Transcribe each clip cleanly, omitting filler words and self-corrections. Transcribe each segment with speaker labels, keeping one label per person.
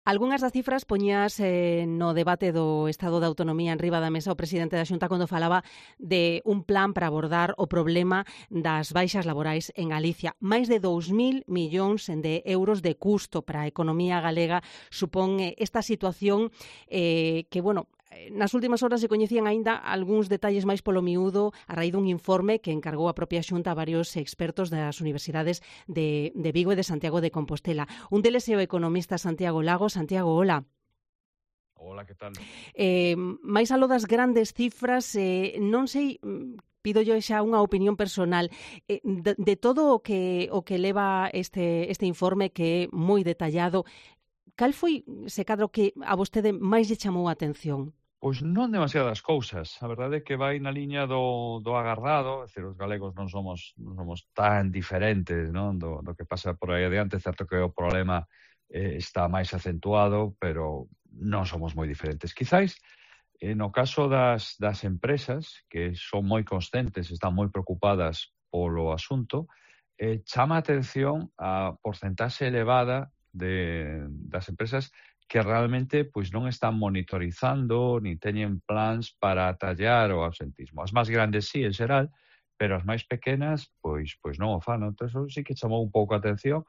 Speaker 1: Algunhas das cifras poñías no debate do Estado de Autonomía en riba da mesa o presidente da Xunta cando falaba de un plan para abordar o problema das baixas laborais en Galicia. Máis de 2.000 millóns de euros de custo para a economía galega supón esta situación que, bueno, nas últimas horas se coñecían aínda algúns detalles máis polo miúdo a raíz dun informe que encargou a propia Xunta a varios expertos das universidades de Vigo e de Santiago de Compostela. Un deles é o economista Santiago Lagos. Santiago, hola.
Speaker 2: Hola, que tal?
Speaker 1: Máis aló das grandes cifras, non sei, pido yo xa unha opinión personal de todo o que leva este informe que é moi detallado. Cal foi, se cadro, que a vostede máis lle chamou a atención?
Speaker 2: Pois non demasiadas cousas. A verdade é que vai na liña do agardado, é dicir, os galegos non somos tan diferentes, non, do que pasa por aí adiante. É certo que o problema está máis acentuado, pero non somos moi diferentes. Quizáis, no caso das empresas, que son moi conscientes, están moi preocupadas polo asunto, chama a atención a porcentaxe elevada das empresas que realmente pois non están monitorizando ni teñen plans para atallar o absentismo. As máis grandes sí, en xeral, pero as máis pequenas pois non o fan. Entón, eso sí que chamou un pouco a atención,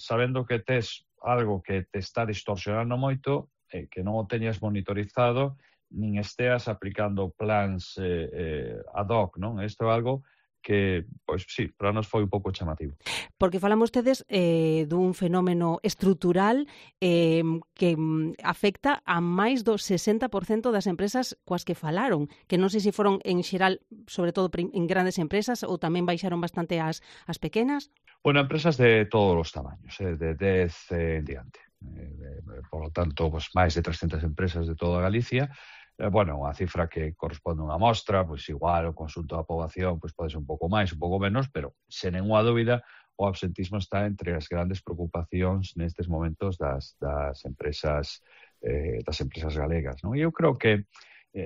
Speaker 2: sabendo que tes algo que te está distorsionando moito, que non o teñas monitorizado, nin esteas aplicando plans ad hoc, non? Isto é algo que, pois sí, para nós foi un pouco chamativo.
Speaker 1: Porque falan vostedes dun fenómeno estrutural que afecta a máis do 60% das empresas coas que falaron, que non sei se foron en xeral, sobre todo en grandes empresas, ou tamén baixaron bastante as pequenas?
Speaker 2: Bueno, empresas de todos os tamaños, de 10 en diante. Por lo tanto, pues, máis de 300 empresas de toda Galicia. Bueno, unha cifra que corresponde a unha mostra, pois igual o conxunto da poboación pois pode ser un pouco máis, un pouco menos, pero sen nenhuma dúbida o absentismo está entre as grandes preocupacións nestes momentos das empresas galegas, non? E eu creo que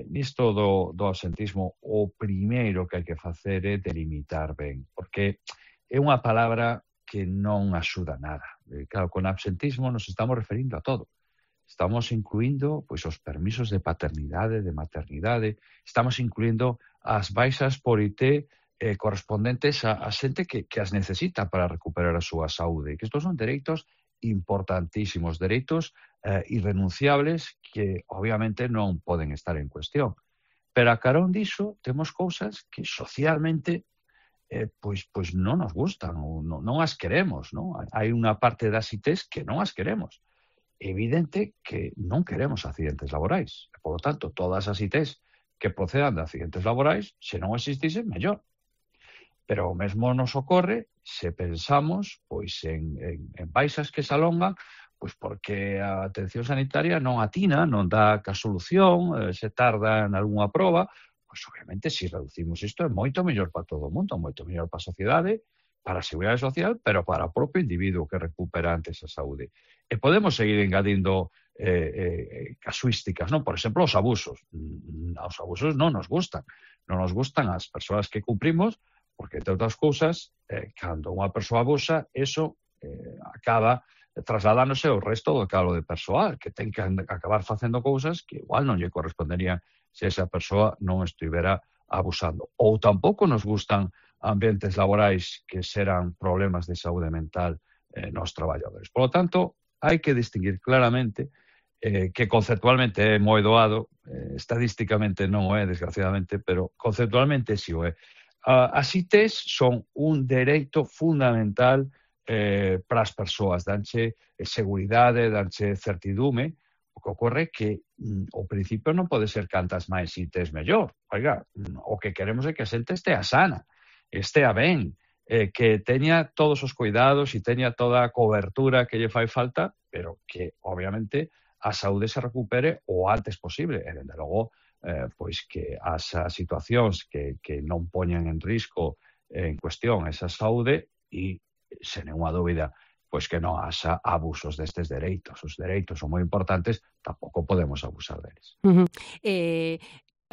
Speaker 2: nisto do absentismo o primeiro que hai que facer é delimitar ben, porque é unha palabra que non axuda nada. Claro, con absentismo nos estamos referindo a todo. Estamos incluindo pois os permisos de paternidade, de maternidade, estamos incluindo as baixas por IT correspondentes a xente que as necesita para recuperar a súa saúde. Que estos son dereitos importantísimos, dereitos irrenunciables que obviamente non poden estar en cuestión. Pero a carón diso temos cousas que socialmente pois non nos gustan ou non as queremos, non? Hai unha parte das ITs que non as queremos. É evidente que non queremos accidentes laborais. Por lo tanto, todas as ITs que procedan de accidentes laborais, se non existisen, mellor. Pero o mesmo nos ocorre se pensamos pois en baixas que se alongan, pois porque a atención sanitaria non atina, non dá ca solución, se tarda en algunha proba, pois obviamente se reducimos isto é moito mellor para todo o mundo, moito mellor para a sociedade, para a seguridade social, pero para o propio individuo que recupera antes a saúde. E podemos seguir engadindo casuísticas, non? Por exemplo, os abusos. Os abusos non nos gustan. Non nos gustan as persoas que cumprimos, porque, entre outras cousas, cando unha persoa abusa, eso acaba trasladándose ao resto do calo de persoal, que ten que acabar facendo cousas que igual non lle corresponderían se esa persoa non estivera abusando. Ou tampouco nos gustan ambientes laborais que xeran problemas de saúde mental nos traballadores. Por lo tanto, hai que distinguir claramente que conceptualmente é moi doado, estadísticamente non o é, desgraciadamente, pero conceptualmente si o é. As ITs son un dereito fundamental para as persoas, danche seguridade, danche certidume. O que ocorre é que o principio non pode ser cantas máis ITs mellor. Oiga, o que queremos é que a xente estea sana, estea ben, que teña todos os cuidados e teña toda a cobertura que lle fai falta, pero que, obviamente, a saúde se recupere o antes posible. E, dende logo, pois que as situacións que non poñan en risco en cuestión esa saúde e, sen nenhuma dúbida, pois que non haxa abusos destes dereitos. Os dereitos son moi importantes, tampouco podemos abusar deles.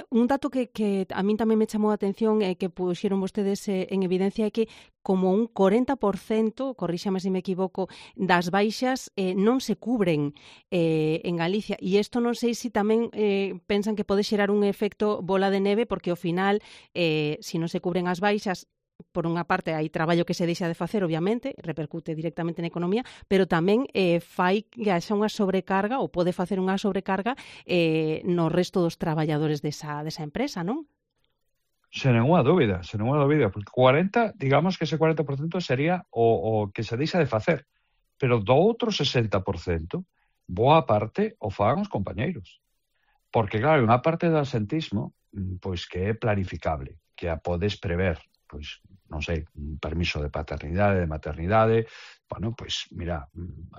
Speaker 1: Un dato que a min tamén me chamou a atención e que puxeron vostedes en evidencia é que como un 40%, corríxame se me equivoco, das baixas non se cubren en Galicia. E isto non sei se tamén pensan que pode xerar un efecto bola de neve, porque ao final, se non se cubren as baixas, por unha parte hai traballo que se deixa de facer, obviamente, repercute directamente na economía, pero tamén fai que haxa unha sobrecarga ou pode facer unha sobrecarga no resto dos traballadores desa empresa, non?
Speaker 2: Sen ninguna dúbida, porque 40, digamos que ese 40% sería o que se deixa de facer, pero do outro 60%, boa parte o fagan os compañeiros. Porque, claro, unha parte do asentismo, pois que é planificable, que a podes prever, pois, non sei, un permiso de paternidade, de maternidade, bueno, pois, mira,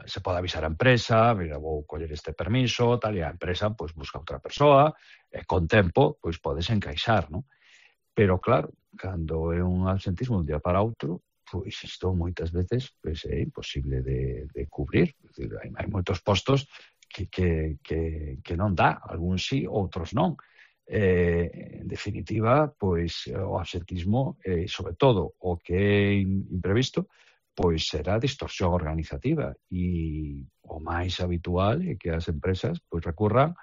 Speaker 2: se pode avisar a empresa, mira, vou coller este permiso, tal, e a empresa, pois, busca outra persoa, e con tempo, pois, podes encaixar, non? Pero, claro, cando é un absentismo un día para outro, pois isto moitas veces pois, é imposible de cubrir. É dicir, hai moitos postos que non dá, algúns sí, outros non. En definitiva, pois o absentismo, sobre todo o que é imprevisto, pois será distorsión organizativa e o máis habitual é que as empresas pois recurran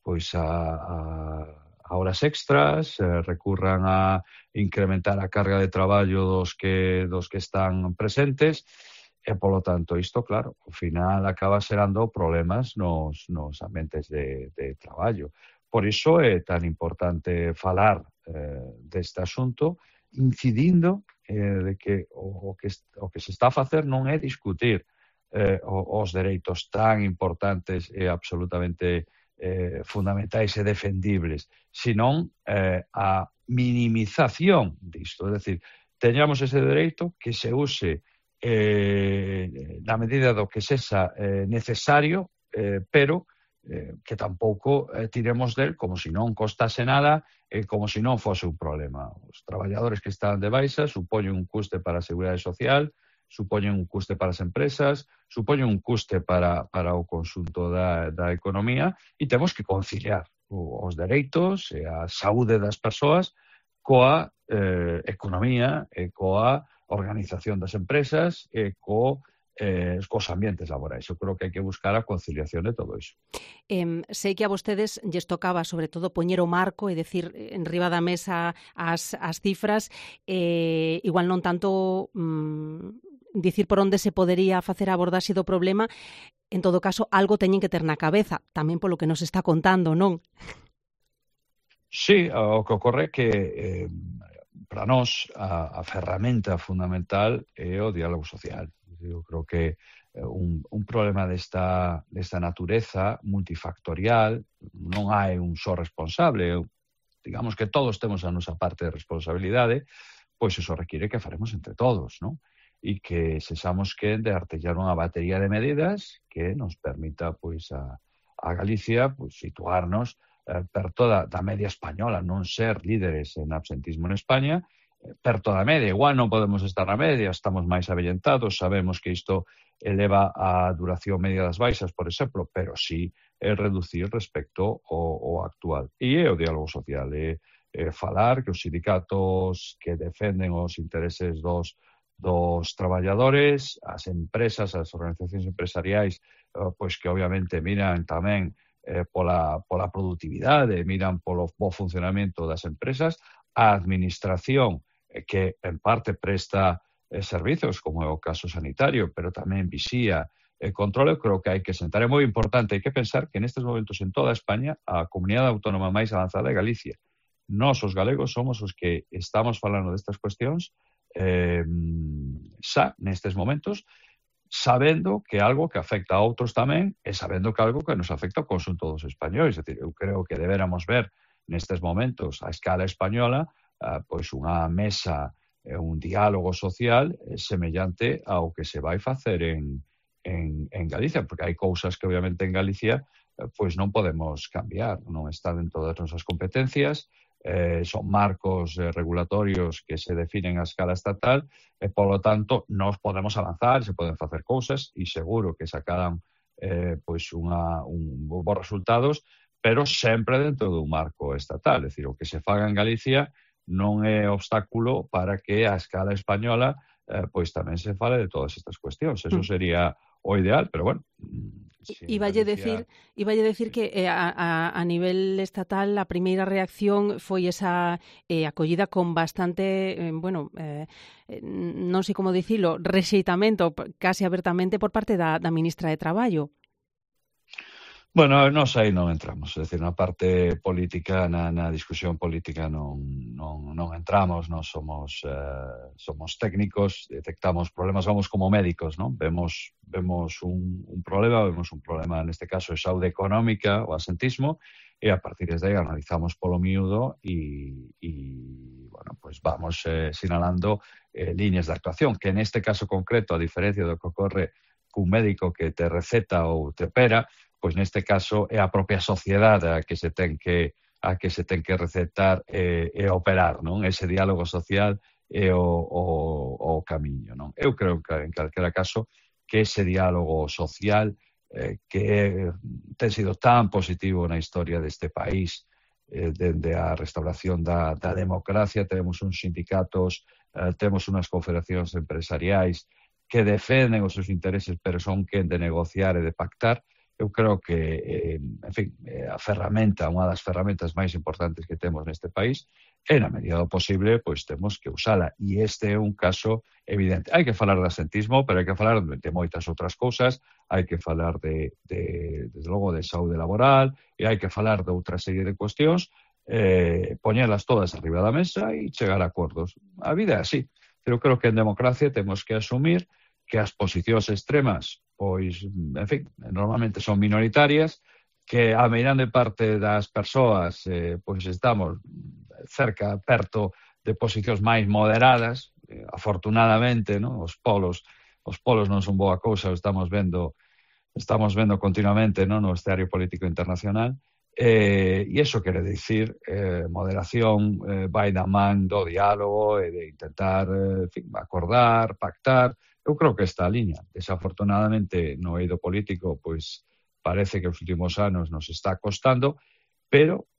Speaker 2: pois a horas extras, recurran a incrementar a carga de traballo dos que están presentes e, polo tanto, isto, claro, ao final acaba xerando problemas nos ambientes de traballo. Por iso é tan importante falar deste asunto, incidindo de que o que se está a facer non é discutir os dereitos tan importantes e absolutamente fundamentais e defendibles, senón a minimización disto. É dicir, teñamos ese dereito que se use na medida do que sexa necesario, pero que tampouco tiremos del como se non costase nada e como se non fose un problema. Os traballadores que están de baixa supoñen un custe para a Seguridade Social, supoñen un custe para as empresas, supoñen un custe para o conxunto da economía e temos que conciliar os dereitos e a saúde das persoas coa economía e coa organización das empresas e cos ambientes laborais. Eu creo que hai que buscar a conciliación de todo iso.
Speaker 1: Sei que a vostedes lles tocaba, sobre todo, poñer o marco e decir en riba da mesa as cifras, igual non tanto dicir por onde se podería facer a abordaxe do problema. En todo caso, algo teñen que ter na cabeza, tamén polo que nos está contando, non?
Speaker 2: Sí, o que ocorre é que para nós a ferramenta fundamental é o diálogo social. Eu creo que un problema desta natureza multifactorial non hai un só responsable. Digamos que todos temos a nosa parte de responsabilidade, pois iso require que faremos entre todos, non? E que sexamos que de artellar unha batería de medidas que nos permita pois a Galicia pois situarnos perto da media española, non ser líderes en absentismo en España, perto da media. Igual non podemos estar na media, estamos máis avellentados, sabemos que isto eleva a duración media das baixas, por exemplo, pero sí reducir respecto ao actual. E é o diálogo social, falar que os sindicatos que defenden os intereses dos traballadores, as empresas, as organizacións empresariais, pois que obviamente miran tamén pola productividade, miran polo bo funcionamento das empresas, a administración que en parte presta servizos, como é o caso sanitario, pero tamén vixía e controle. Eu creo que hai que sentar. É moi importante, hai que pensar que nestes momentos en toda España a comunidade autónoma máis avanzada é Galicia. Nós, os galegos, somos os que estamos falando destas cuestións xa nestes momentos, sabendo que algo que afecta a outros tamén e sabendo que algo que nos afecta ao conxunto dos españois. É dicir, eu creo que deberamos ver nestes momentos a escala española pois unha mesa, un diálogo social semellante ao que se vai facer en Galicia, porque hai cousas que obviamente en Galicia pois non podemos cambiar, non está dentro das nosas competencias, son marcos regulatorios que se definen a escala estatal e, polo tanto, nós podemos avanzar, se poden facer cousas e seguro que sacarán pois bons resultados, pero sempre dentro dun marco estatal. É dicir, o que se faga en Galicia non é obstáculo para que a escala española pois tamén se fale de todas estas cuestións. Eso sería o ideal, pero bueno, si en Galicia...
Speaker 1: Iballe decir que a nivel estatal a primeira reacción foi esa acollida con bastante, non sei como dicilo, rexeitamento casi abertamente por parte da ministra de Traballo.
Speaker 2: Bueno, nós aí non entramos, é dicir, na parte política, na discusión política non entramos, nós somos técnicos, detectamos problemas, vamos como médicos, non? Vemos un problema neste caso de saúde económica, o asentismo, e a partir de aí analizamos polo miúdo e bueno, pues vamos sinalando líneas de actuación, que neste caso concreto, a diferencia do que ocorre cun médico que te receta ou te opera, pois neste caso é a propia sociedade a que se ten que recetar e operar, non? Ese diálogo social é o camiño, non? Eu creo que en calquera caso que ese diálogo social que ten sido tan positivo na historia deste país dende a restauración da democracia, temos uns sindicatos, temos unhas confederacións empresariais que defenden os seus intereses, pero son quen de negociar e de pactar. Eu creo que, en fin, a ferramenta, unha das ferramentas máis importantes que temos neste país, e na medida do posible, pois temos que usala. E este é un caso evidente. Hai que falar de asentismo, pero hai que falar de moitas outras cousas, hai que falar desde logo, de saúde laboral, e hai que falar de outra serie de cuestións, poñelas todas arriba da mesa e chegar a acordos. A vida é así. Pero creo que en democracia temos que asumir que as posicións extremas, pois, en fin, normalmente son minoritarias, que a meirande parte das persoas, pois estamos perto de posicións máis moderadas, afortunadamente, non? Os polos non son boa cousa, estamos vendo continuamente, non, no escenario político internacional, e iso quere dicir moderación vai da man do diálogo e de intentar, en fin, acordar, pactar. Eu creo que esta liña, desafortunadamente, no eido político, pois parece que os últimos anos nos está costando, pero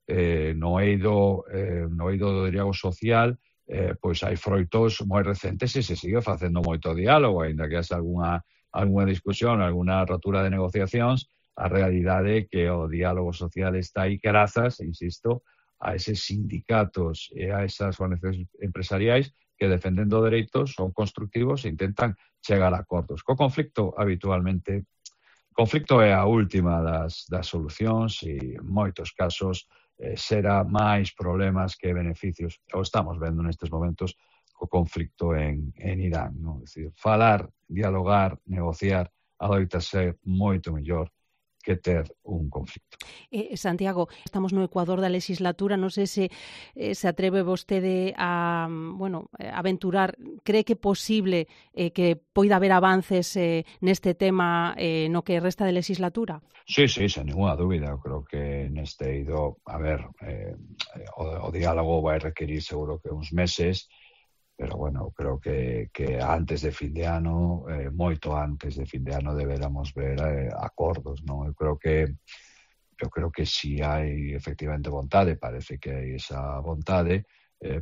Speaker 2: no eido do diálogo social, pois hai froitos moi recentes e se sigue facendo moito diálogo, aínda que haxa algunha discusión, algunha rotura de negociacións, a realidade é que o diálogo social está aí grazas, insisto, a eses sindicatos e a esas organizacións empresariais que defendendo dereitos son constructivos e intentan chegar a acordos. Co conflicto, habitualmente, conflicto é a última das solucións e en moitos casos será máis problemas que beneficios. O estamos vendo nestes momentos co conflicto en Irán, non? É dicir, falar, dialogar, negociar, adoita ser moito mellor que ter un conflicto.
Speaker 1: Santiago, estamos no Ecuador da legislatura, non sei se atreve vostede a aventurar, cree que é posible que poida haber avances neste tema no que resta de legislatura?
Speaker 2: Sí, sen ninguna dúbida. Eu creo que neste eido, o diálogo vai requerir seguro que uns meses, pero bueno, creo que antes de fin de ano, moito antes de fin de ano, deberamos ver acordos, non? Eu creo que si hai efectivamente vontade, parece que hai esa vontade,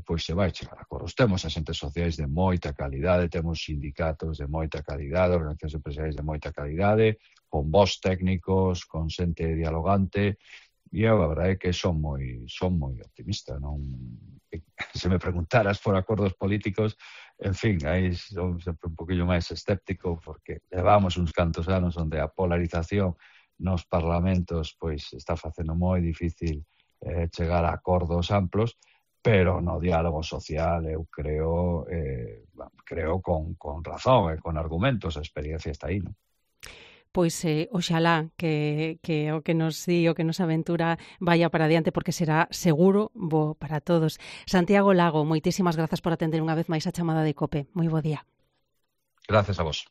Speaker 2: pois se vai chegar a acordos. Temos agentes sociais de moita calidade, temos sindicatos de moita calidade, organizacións empresariais de moita calidade, con vos técnicos, con xente dialogante, e eu, a verdade é que son moi optimista, non? Se me preguntaras por acordos políticos, en fin, aí son sempre un poquillo máis escéptico, porque levamos uns cantos anos onde a polarización nos parlamentos pois está facendo moi difícil chegar a acordos amplos, pero no diálogo social eu creo con razón e con argumentos, a experiencia está aí, non?
Speaker 1: Pois oxalá que o que nos di, o que nos aventura vaya para adiante, porque será seguro bo para todos. Santiago Lago, moitísimas grazas por atender unha vez máis a chamada de COPE. Moi bo día.
Speaker 2: Gracias a vos.